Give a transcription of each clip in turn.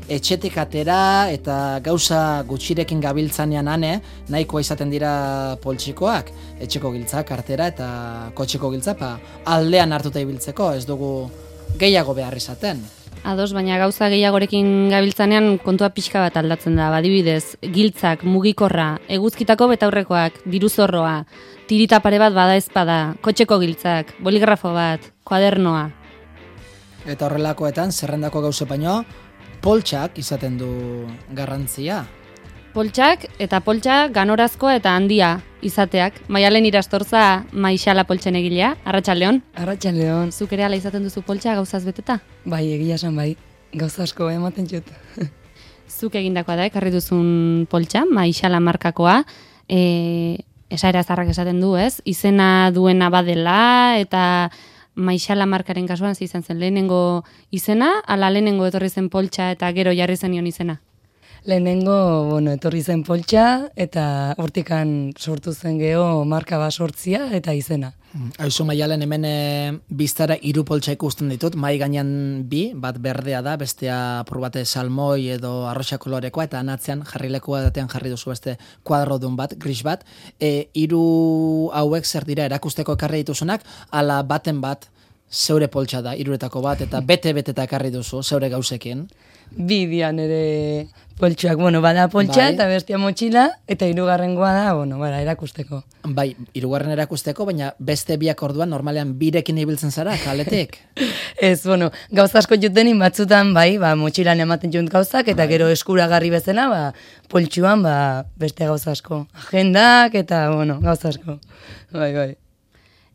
etxetik atera eta gauza gutxirekin gabiltzanean nahikoa izaten dira poltsikoak, etxeko giltzak, kartera eta kotxeko giltza, aldean hartuta ibiltzeko, ez dugu gehiago behar izaten. Ados, baina gauza gehiagorekin gabiltzanean kontua pixka bat aldatzen da, adibidez, giltzak, mugikorra, eguzkitako betaurrekoak, diruzorroa, tirita pare bat bada ezpada, kotxeko giltzak, boligrafo bat, kuadernoa. Eta horrelakoetan, zerrendako gauze baino, poltsak izaten du garrantzia. Poltsak eta poltsa ganorazkoa eta handia izateak. Maialen Irastorza Maixala poltsen egilea, Arratsaldeon. Arratsaldeon. Zuk ere ala izaten duzu poltsa gauzaz beteta? Bai, egia esan bai. Gauza asko ematen dut. Zuk egindakoa da, ekarri duzun poltsa, Maixala markakoa. Esaera zarrak esaten du, ez? Izena duena badela eta Maixala markaren kasuan izan zen lehenengo izena, ala lehenengo etorri zen poltsa eta gero jarri zenion izena? Lehenengo, etorri zen poltsa eta hortikan sortu zen geho marka bat sortzia eta izena. Haizu Maialen hemen biztara 3 poltsa ikusten ditut, mai gainean 2, bat berdea da, bestea apur bate salmoi edo arroxa kolorekoa, eta anatzean jarrilekua datean jarri duzu beste kuadrodun bat, gris bat. 3 hauek zer dira erakusteko ekarri dituzunak, ala baten bat zeure poltsa da, 3etako bat, eta bete-beteta ekarri duzu, zeure gauzekin. 2 dian ere poltsuak, bada poltsa bai. Eta bestia motxila, eta 3garrengoa da, erakusteko. Bai, 3garren erakusteko, baina beste 2ak orduan normalean 2rekin ibiltzen zara, kaletik. Ez, gauza asko jutenin batzutan, motxilan ematen junt gauzak, eta gero eskuragarri bezala, poltsuan, beste gauza asko. Agendak, eta, gauza asko. Bai.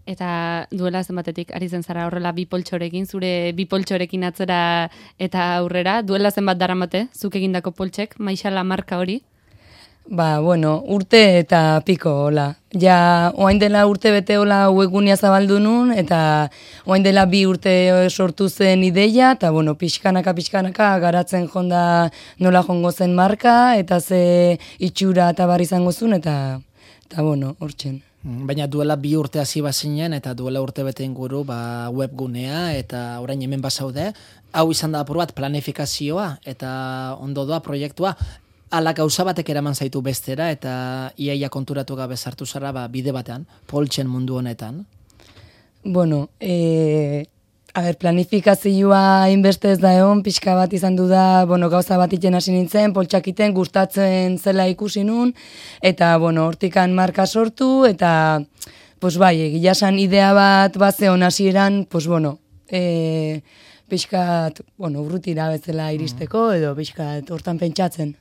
Eta duela zenbatetik ari zen zara horrela 2 poltsorekin, zure 2 poltsorekin atzera eta aurrera, duela zenbat daramate, zuk egindako poltsek, Maixala marka hori? Urte eta piko, hola. Ja, oain dela urte bete hola webgunea zabaldu nun, eta oain dela 2 urte sortu zen ideia, eta pixkanaka garatzen jonda nola jongo zen marka, eta ze itxura eta barri izango zuen, eta hortzen. Baina duela 2 urte hasi bazinen eta duela urte bete inguru webgunea eta orain hemen bazaude, hau izan da apur bat planifikazioa eta ondo doa proiektua, ala gauza batek eraman zaitu bestera eta iaia konturatu gabe sartu zara bide batean, poltsen mundu honetan. Planifikazioa inbeste ez da egon, pixka bat izan du da, gauza bat iten hasi nintzen, poltsakiten gustatzen zela ikusi nun, eta, hortikan marka sortu, eta, egia esan idea bat zeon hasieran, pixkat, urrutira bezala iristeko, edo pixkat hortan pentsatzen.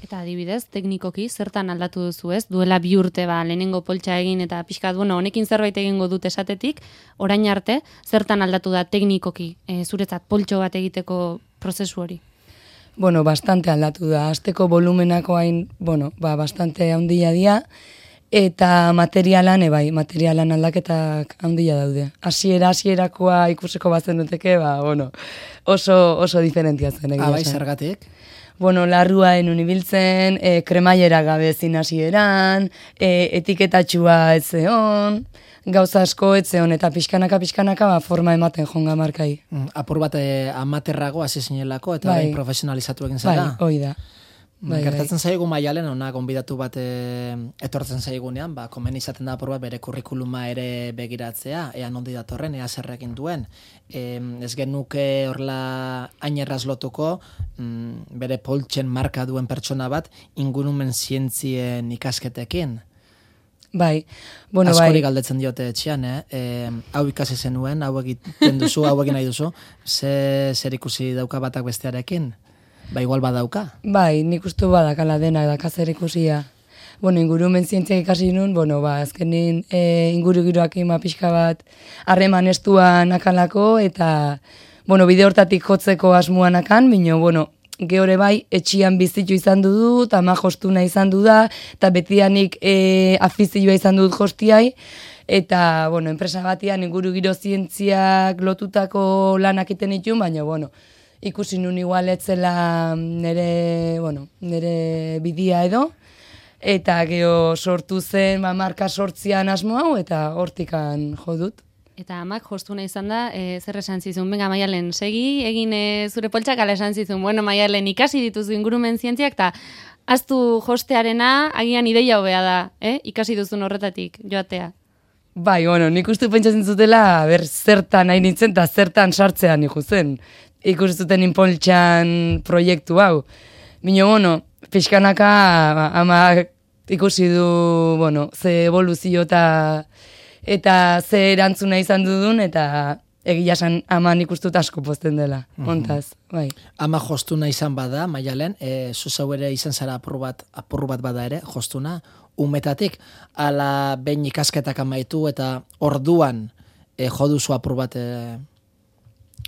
Eta adibidez, teknikoki, zertan aldatu duzu ez? Duela 2 urte lehenengo poltsa egin eta pixkat, honekin zerbait egingo dut esatetik, orain arte, zertan aldatu da teknikoki, zuretzat poltso bat egiteko prozesu hori? Bastante aldatu da. Azteko volumenako hain, bastante handia dia, eta materialan aldaketak handia daude. Hasierakoa ikusiko bazen duteke, oso diferentia zen. Bai, zergatik? Larrua enun ibiltzen, kremailera gabe zin hasieran, etiketatxua ez zeon, gauza asko ez zeon, eta pixkanaka forma ematen jonga markai. Apur bat amaterrago hasi zinelako, eta profesionalizatu egin zara. Bai, hoi da. Gertatzen zaigu Maialen, gonbidatu bat etortzen zaigunean, komen izaten da apur bat bere kurrikuluma ere begiratzea, ea nondi datorren, ea zerrekin duen. Ez genuke horrela ainerraz lotuko, bere poltsen marka duen pertsona bat, ingurumen zientzien ikasketekin. Bai, askori galdetzen diote etxean, hau ikasi zenuen, hau egiten duzu, hau egin nahi duzu, zer ikusi dauka batak bestearekin? Igual badauka. Bai, nik uste badakala dena, dakazer ikusia. Ingurumen zientziak ikasi nun, azkenin ingurugiroak pixka bat harreman estuan akalako, eta, bide hortatik jotzeko asmuan akan, gehore bai, etxian bizitu izan dut, ama jostuna izan du da, eta betianik afizioa izan dut jostiai, eta, enpresa batian ingurugiro zientziak lotutako lanak iten itun, baina, ikusi nun igual etzela nire bidia edo, eta geho sortu zen marka sortzian asmo hau, eta hortikan jo dut. Eta amak jostuna izan da, zer esan zizun, venga Maialen, segi, egin zure poltsak, ala esan zizun, bueno Maialen, ikasi dituzu ingurumen zientziak, eta aztu jostearena, agian ideia hobea da, ikasi duzun horretatik, joatea. Bai, bueno, nik uste pentsatzen zutela, zertan nahi nintzen, eta zertan sartzean ikusten. Ikusten zuten inpoltxan proiektu hau. Bino, bueno, pixkanaka ama ikusi du, bueno, ze evoluzio eta ze erantzuna izan dudun, eta egia esan aman ikustut asko pozten dela, ontaz, bai. Ama jostuna izan bada, Maialen, zuzau ere izan zara apurru bat bada ere, jostuna, umetatik, ala behin ikasketak amaitu eta orduan joduzu apur bat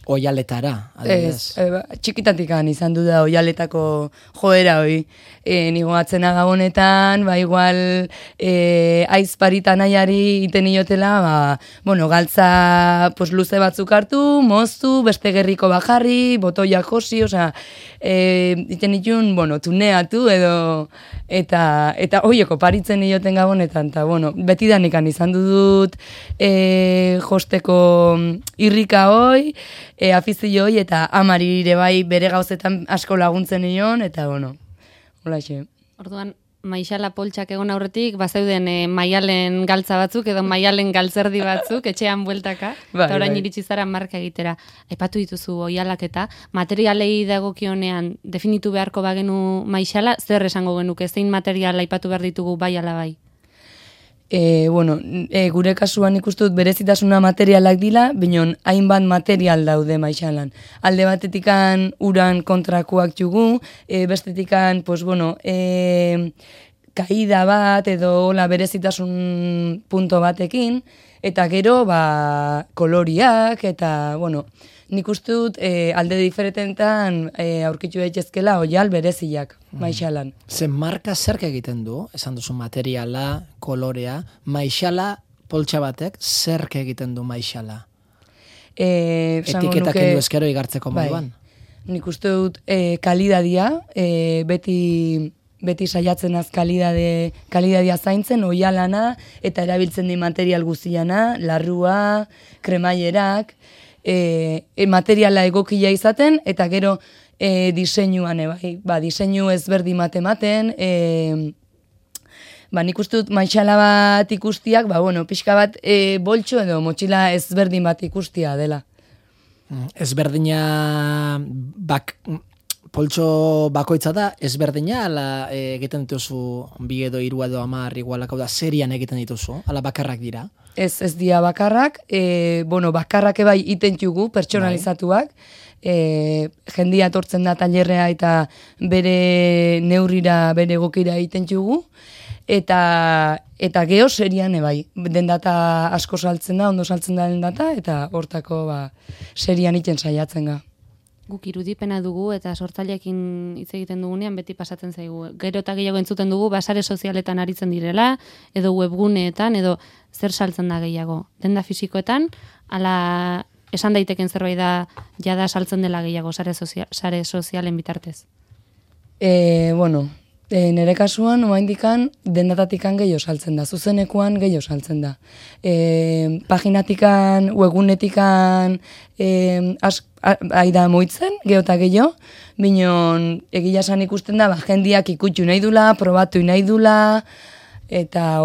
oialetara, adibidez. Txikitatikan izan du da oialetako joera hoi. Nigo atzena gabonetan, igual aizparita nahiari iten iotela, bueno, galtza luze batzuk hartu, moztu, beste gerriko bajarri, botoiak josi, iten itun, bueno, tuneatu edo, eta hoieko paritzen ioten gabonetan, eta, bueno, betidanikan izan dut josteko irrika hoi, afizio hoi, eta amari ere bai bere gauzetan asko laguntzen nion, eta, bueno, hola xe. Orduan, Maixala poltsak egon aurretik, bazeuden Maialen galtza batzuk, edo Maialen galtzerdi batzuk, etxean bueltaka, eta orain iritsi zara marka egitera. Aipatu dituzu oialak eta materialei dagokionean definitu beharko bagenu Maixala, zer esango genuke, zein material aipatu behar ditugu bai ala bai? Bueno, gure kasuan ikustut berezitasuna materialak dila, binon hainbat material daude Maixalan. Alde batetikan uran kontrakoak jugu, bestetikan, pues bueno, kaida bat edo la berezitasun punto batekin, eta gero, koloriak, eta, bueno, nik ustut alde diferentetan aurkitu daitezkela oial bereziak Maixalan. Zen marka zerk egiten du, esan duzu materiala, kolorea, Maixala poltsa batek zerk egiten du Maixala? Etiketak kendu eskero igartzeko moduan? Nik uste dut kalidadia, beti saiatzen az kalidadia zaintzen, oialana, eta erabiltzen di material guziana, larrua, kremailerak, materiala egokia izaten, eta gero diseinuan, diseinu ezberdin matematen, nik uste dut Maixala bat ikustiak, pixka bat boltxo edo motxila ezberdin bat ikustia dela. Ezberdina poltxo bakoitza da, ezberdina, ala egiten dituzu bi edo hiru edo 10 igualak, hau da, serian egiten dituzu, ala bakarrak dira? Ez dira bakarrak, bakarrak ebai iten jugu, pertsonalizatuak, jendia etortzen da tailerrea eta bere neurrira, bere gokira iten jugu, eta geho serian ebai, den data asko saltzen da, ondo saltzen da den data, eta hortako serian iten saiatzen ga. Guk irudipena dugu eta sortzaileekin hitz egiten dugunean beti pasatzen zaigu. Gero eta gehiago entzuten dugu sare sozialetan aritzen direla, edo webguneetan, edo zer saltzen da gehiago. Denda fisikoetan, ala esan daiteken zerbait da jada saltzen dela gehiago sare sozialen bitartez. Nere kasuan, oaindikan, dendatatik gehiago saltzen da, zuzenekoan gehiago saltzen da. Paginatikan, webgunetikan, aida moitzen, geota gehiago, binon egia esan ikusten da, jendiak ikutxu nahi dula, probatu nahi dula, eta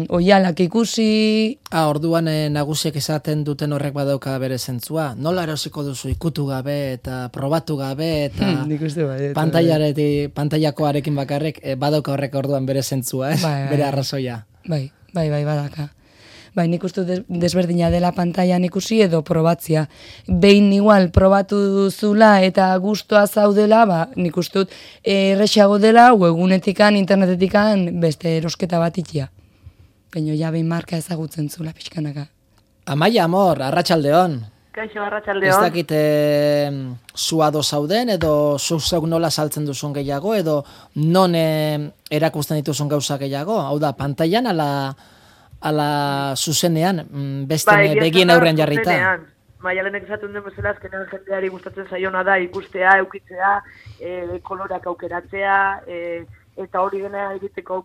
oialak ikusi. Orduan nagusiek esaten duten horrek badauka bere zentzua. Nola erosiko duzu ikutu gabe eta probatu gabe eta pantailakoarekin bakarrik badauka horrek orduan bere zentzua, bere arrazoia. Bai, badaka. Nik uste desberdina dela pantailan ikusi edo probatzia. Behin igual probatu duzula eta gustoa zaudela, nik uste errexago dela, webgunetikan, internetetikan beste erosketa bat ikia. Baina ja behin marka ezagutzen zula pixkanaka. Amaia, amor, arratsaldeon. Kaixo, arratsaldeon. Ez dakit zuado zauden edo zuzuk nola saltzen duzun gehiago edo non erakusten dituzun gauza gehiago. Hau da, pantailan ala zuzenean, beste begien aurrean jarrita. Maialenek esaten den bezala, azkenean jendeari gustatzen zaiona da ikustea, eukitzea, kolorak aukeratzea, eta hori dena egiteko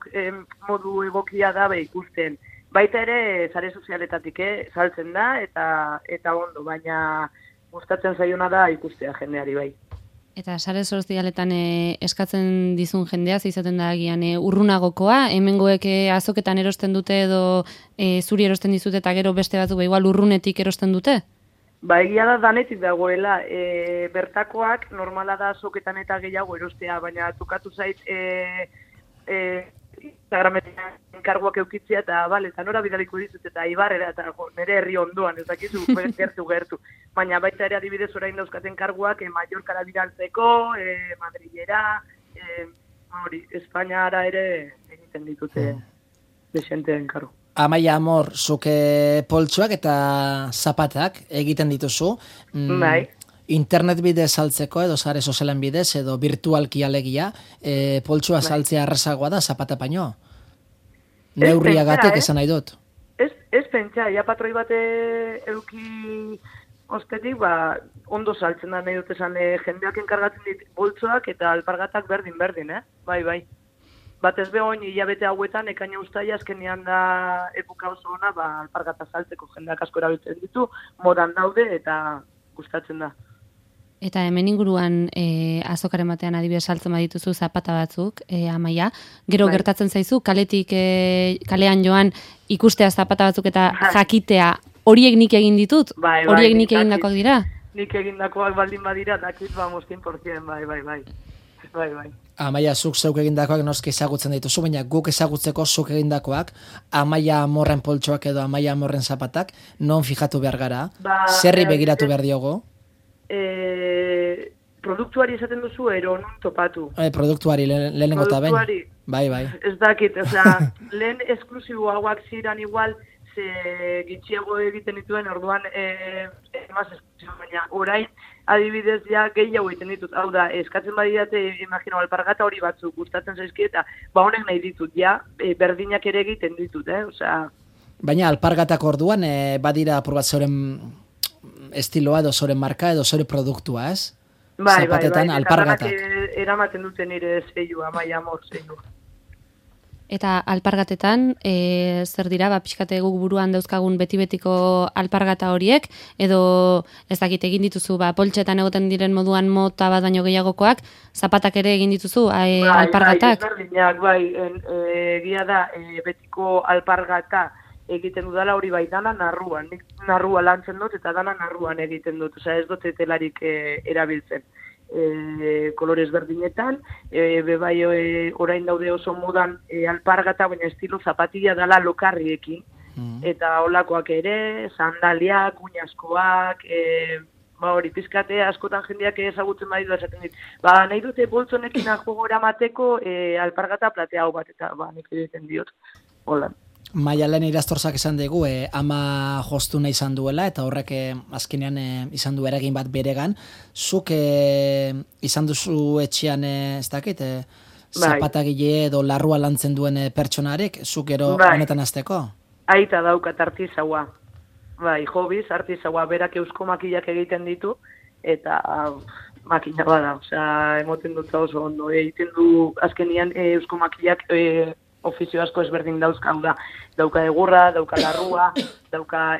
modu egokia da ikusten. baita ere sare sozialetatik saltzen da eta ondo, baina gustatzen zaiona da ikustea jendeari bai. Eta sare sozialetan eskatzen dizun jendea, izaten da agian urrunagokoa, hemengoek azoketan erosten dute edo zuri erosten dizute eta gero beste batzuk igual urrunetik erosten dute? Ba, egia da danetik dagoela, bertakoak normala da azoketan eta gehiago erostea, baina tukatu zait Instagrametan enkarguak eukitzea eta eta nora bidaliko dizut eta Ibarrera eta nire herri ondoan, ez dakizu gertu. Baina baita ere adibidez orain dauzkaten karguak Mallorcara bidaltzeko, Madrilera, Espainiara ere egiten ditute desenteen kargu. Amaia Amor, zuke poltsuak eta zapatak egiten dituzu. Bai. Internet bidez saltzeko edo sare sozialen bidez edo virtualki alegia, poltsua saltzea errazagoa da zapata baino. Neurriagatik esan nahi dut. Ez pentsa, ja patroi bate euki ostetik, ondo saltzen da nahi dut esan jendeak enkargatzen dit boltsoak eta alpargatak berdin, bai. Batez behoin hilabete hauetan, ekaina ustaia azkenean da epoka oso ona, alpargata saltzeko jendeak asko erabiltzen ditu, modan daude eta gustatzen da. Eta hemen inguruan azokaren batean adibidez saltzen badituzu zapata batzuk, Amaia, gero gertatzen zaizu, kalean joan ikustea zapata batzuk eta jakitea, horiek nik egin ditut? Horiek nik egindakoak dira? Nik egindakoak baldin badira, dakit 100%, bai. Amaia, zuk zeuk egindakoak noski ezagutzen dituzu, baina guk ezagutzeko zuk egindakoak, Amaia Amorren poltsoak edo Amaia Amorren zapatak, non fijatu behar gara? Zerri begiratu behar diogo? Produktuari esaten duzu, ero non topatu? Produktuari, lehenengo eta bain. Bai. Ez dakit, lehen esklusibo hauak ziren igual, ze gitxiago egiten dituen, orduan emaz esklusibo, baina orain adibidez ja gehiago egiten ditut. Hau da, eskatzen badidate, imagino, alpargata hori batzuk gustatzen zaizki eta honek nahi ditut, ja, berdinak ere egiten ditut, Baina alpargatak orduan, badira apur bat zeuren estiloa edo zure marka edo zure produktua, ez? Bai, alpargatak. Eramaten duten nire zeilua, Amaia Amor zeilua. Eta alpargatetan, zer dira, pixkate guk buruan dauzkagun beti-betiko alpargata horiek, edo ez dakit egin dituzu, poltsetan egoten diren moduan mota bat baino gehiagokoak, zapatak ere egin dituzu, alpargatak? Bai, egia da, betiko alpargata egiten dudala hori bai dana narruan. Nik narrua lantzen dut eta dana narruan egiten dut. Osea, ez dut telarik erabiltzen. Kolorez berdinetan, bebai orain daude oso modan alpargata, baina estilo zapatilla dala lokarriekin. Eta olakoak ere, sandaliak, uñaskoak, hori pizkate askotan jendeak ezagutzen baditu esaten dit. Nahi dute boltzonekin juego eramateko alpargata platea hau bat, eta nik egiten diot. Hola. Maialen Irastortzak esan dugu, ama jostuna izan duela, eta horrek azkenean izan du eragin bat beregan. Zuk izan duzu etxean, ez dakit, zapatagile edo larrua lantzen duen pertsonarek, zuk gero honetan azteko? Aita daukat artizaua. Bai, hobiz, artizaua, berak eusko makillak egiten ditu, eta makina bada, osea, emoten dut oso ondo. Egiten du azkenean eusko makillak ofizio asko ezberdin dauzka, dauka egurra, dauka larrua, dauka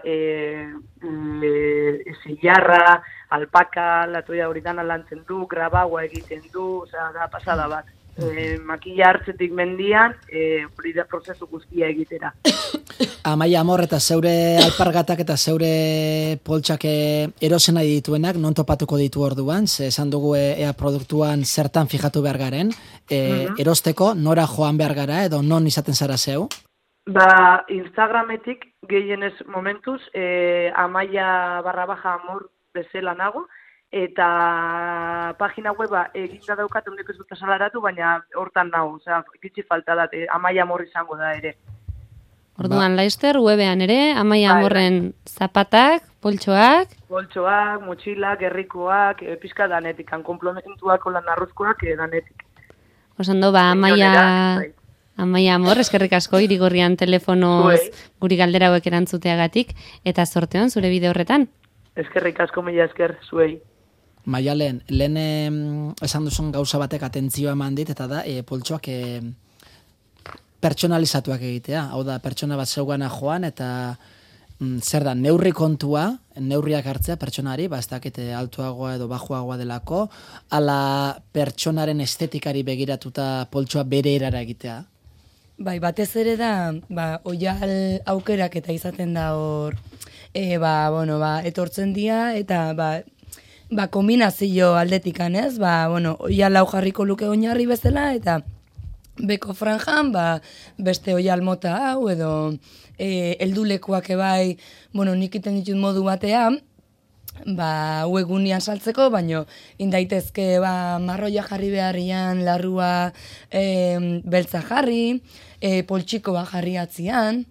zillarra, alpaka, latoia hori dana lantzen du, grabaua egiten du, osea, da pasada bat. Makilla hartzetik mendian, hori da prozesu guztia egitera. Amaia Amor eta zeure alpargatak eta zeure poltsak erosen nahi dituenak, non topatuko ditu orduan, ze esan dugu ea produktuan zertan fijatu behar garen, erosteko nora joan behar gara edo non izaten zara zeu? Instagrametik gehienez momentuz, Amaia_Amor bezala nago, eta pagina weba eginda daukat, ondeko ez dut asalaratu, baina hortan nago, osea, gitxi falta da, Amaia Amor izango da ere. Orduan, Laister, webean ere, Amaia Amorren zapatak, poltsoak, motxilak, herrikoak, pizka danetik, komplementuak, olan arrozkoak, danetik. Osando, Amaia Amor, eskerrik asko, Irigorrian telefonoz guri galdera hauek erantzuteagatik, eta sorteon zure bide horretan. Eskerrik asko, mila esker, zuei. Maialen, lehen esan duzun gauza batek atentzioa eman dit, eta da, poltsoak pertsonalizatuak egitea. Hau da, pertsona bat zeugana joan eta zer da, neurri kontua, neurriak hartzea pertsonari, ez dakite altuagoa edo bajuagoa delako, ala pertsonaren estetikari begiratuta poltsoa bere erara egitea. Bai, batez ere da, oial aukerak eta izaten da hor, etortzen dira, eta kombinazio aldetikan, ez? Oial hau jarriko luke oinarri bezala, eta beko franjan, beste oial mota hau, edo heldulekuak ebai, nik iten ditut modu batean, webgunian saltzeko, baino indaitezke marroia jarri beharrian, larrua beltza jarri, poltsiko jarri atzian,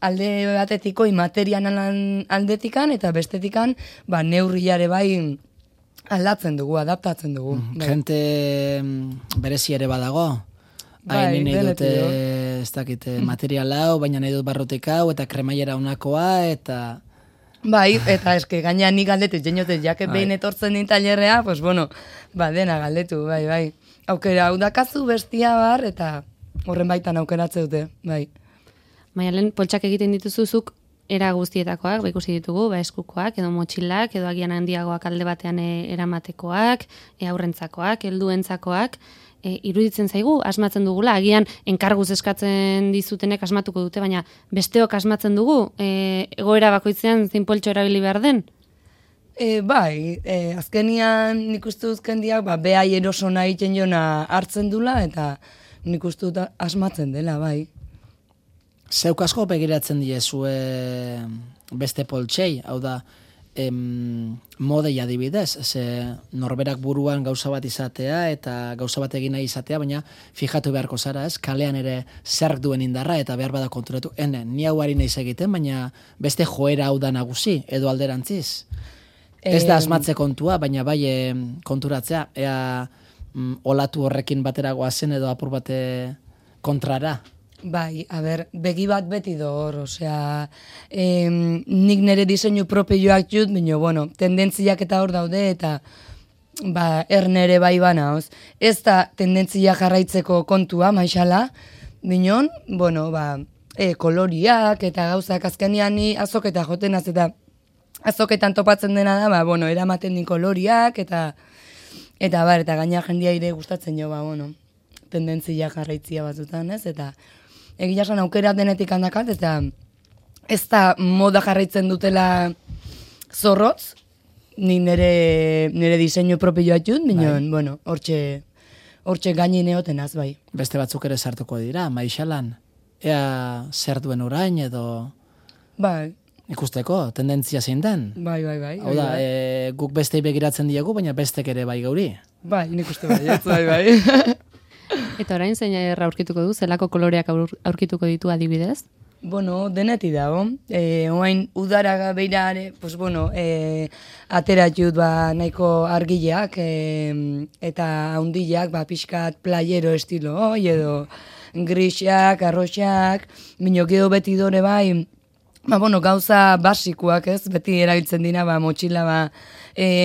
alde batetiko imaterian aldetikan, eta bestetikan neurriare bai aldatzen dugu, adaptatzen dugu. Gente berezi ere badago? Nahi dut, ez dakit, material hau, baina nahi dut barrotik hau, eta kremaiera unakoa, eta... Bai, eta eske gaina nik galdetu, jeniote, jake behin etortzen din talerrea, dena galdetu, bai. Aukera hau dakazu bestia bar, eta horren baitan aukeratze dute, bai. Maialen, poltsak egiten dituzuzuk era guztietakoak, ikusi ditugu, eskukoak, edo motxilak, edo agian handiagoak alde batean eramatekoak, aurrentzakoak, helduentzakoak, iruditzen zaigu, asmatzen dugula, agian enkarguz eskatzen dizutenek asmatuko dute, baina besteok asmatzen dugu, egoera bakoitzean zein poltso erabili behar den? Azkenian nik uste dut jendeak, behai eroso nahi jona hartzen dula, eta nik uste dut asmatzen dela, bai. Zeuk asko begiratzen diezue beste poltsei, hau da, modei adibidez, ze norberak buruan gauza bat izatea eta gauza bat egin nahi izatea, baina fijatu beharko zara, ez? Kalean ere zerk duen indarra eta behar bada konturatu, ni hau ari nahiz egiten, baina beste joera hau da nagusi, edo alderantziz. Ez da asmatze kontua, baina bai konturatzea, ea olatu horrekin batera goazen edo apur bate kontrara. Bai, begi bat beti dor, osea, nik nire diseinu propioak jut, baina, tendentziak eta hor daude, eta ernere bai bana, ez da tendentzia jarraitzeko kontua, maixala, binon, koloriak eta gauzak azkenean ni azoketa joten az, eta azoketan topatzen dena da, eramaten din koloriak, eta gaina jendia ire gustatzen jo, tendentzia jarraitzia batzutan, ez, eta egia esan aukera denetik handakat, eta ez da moda jarraitzen dutela zorrotz, ni nire diseinu propioa jut, minon, hortxe gainin eotenaz, bai. Beste batzuk ere sartuko dira, maixalan, ea zer duen orain edo... Bai. Ikusteko, tendentzia zein den. Bai. Hau da, guk bestei begiratzen diegu, baina bestek ere bai gauri. Bai, nik uste bai. Eta orain zein aurkituko du, zelako koloreak aurkituko ditu adibidez? Deneti dago. Oain udara beirare, atera jut nahiko argileak eta haundileak, pixkat playero estilo, edo grisak, arroxak, minok edo beti dore bai, gauza basikoak, ez? Beti erabiltzen dira, motxila,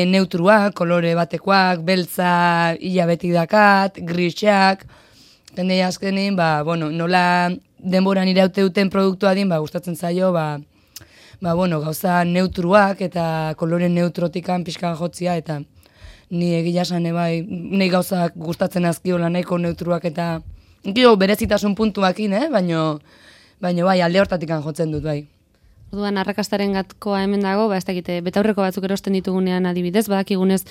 neutruak, kolore batekoak, beltza, ia beti dakat, grisak, tendei azkenin, nola denboran iraute duten produktua din, gustatzen zaio, gauza neutruak eta kolore neutrotikan pixka jotsia, eta ni egia esan, nahi gauzak gustatzen azkiola nahiko neutruak eta berezitasun puntuakin, baina alde hortatikan jotzen dut, bai. Orduan, arrakastaren gatkoa hemen dago, ez dakite, betaurreko batzuk erosten ditugunean adibidez, badakigunez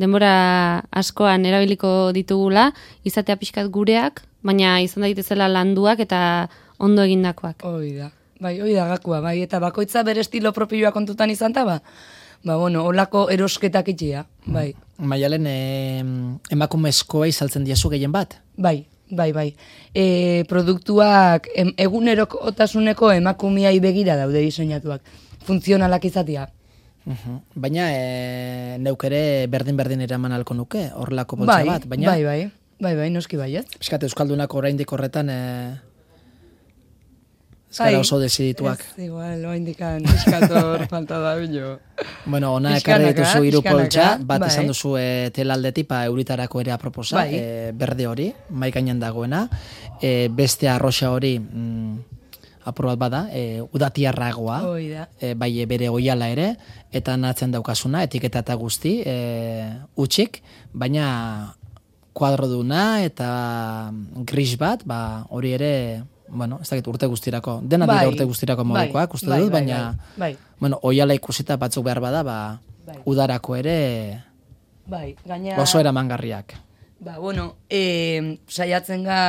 denbora askoan erabiliko ditugula, izatea pixkat gureak, baina izan daitezela landuak eta ondo egindakoak. Hoi da gakoa, eta bakoitza bere estilo propioa kontutan izan ta, holako erosketak itxia, bai. Maialen, emakumezkoa izaltzen diazu gehien bat? Bai. Produktuak egunerokotasuneko emakumiai begira daude diseinatuak, funtzionalak izatea. Baina neuk ere berdin eraman alko nuke, horrelako poltsa bat. Bai, noski baiet. Eskate, Euskaldunak oraindik horretan Ez gara oso desidituak. Ez, igual, oindikan, piskator falta da bilo. Bueno, ona Pixkanaka, ekarri dituzu hiru poltsa, pixkanaka, bat bai. esan duzu telaldetik, euritarako ere aproposa, Bai. berde hori, mai gainean dagoena, beste arroxa hori, apur bat bada, udatiarragoa, Hoi da. bai bere oiala ere, eta natzen daukasuna, etiketa eta guzti, utxik, baina kuadroduna eta gris bat, hori ere, bueno, ez dakit urte guztirako, dena dira urte guztirako modukoak, uste dut, baina, bueno, oiala ikusita batzuk behar bada, udarako ere gaina... oso eramangarriak. Bueno, saiatzen ga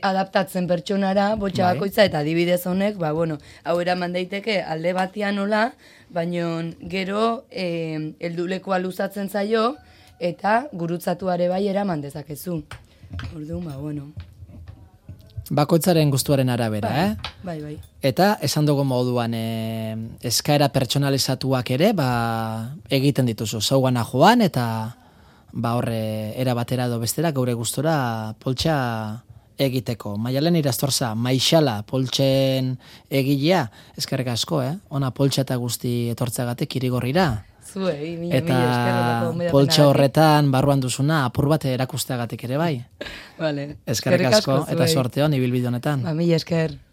adaptatzen pertsonara, botxa bakoitza, eta adibidez honek, bueno, hau eraman daiteke alde batean nola, baina gero heldulekoa luzatzen zaio, eta gurutzatuare bai eraman dezakezu. Orduan, bueno... Bakoitzaren gustuaren arabera, Bai. Eta esan dugu moduan eskaera pertsonalizatuak ere, egiten dituzu, zaugana joan, eta horre era batera edo bestera geure gustora poltsa egiteko. Maialen Irastorza, Maixala poltsen egilea, eskerrik asko, ona poltsa eta guzti etortzeagatik Irigorrira. Zuei, mila eta poltsa horretan barruan duzuna apur bat erakusteagatik ere bai. Vale. Eskerrik asko eta sorte hon ibilbide honetan. Mila esker.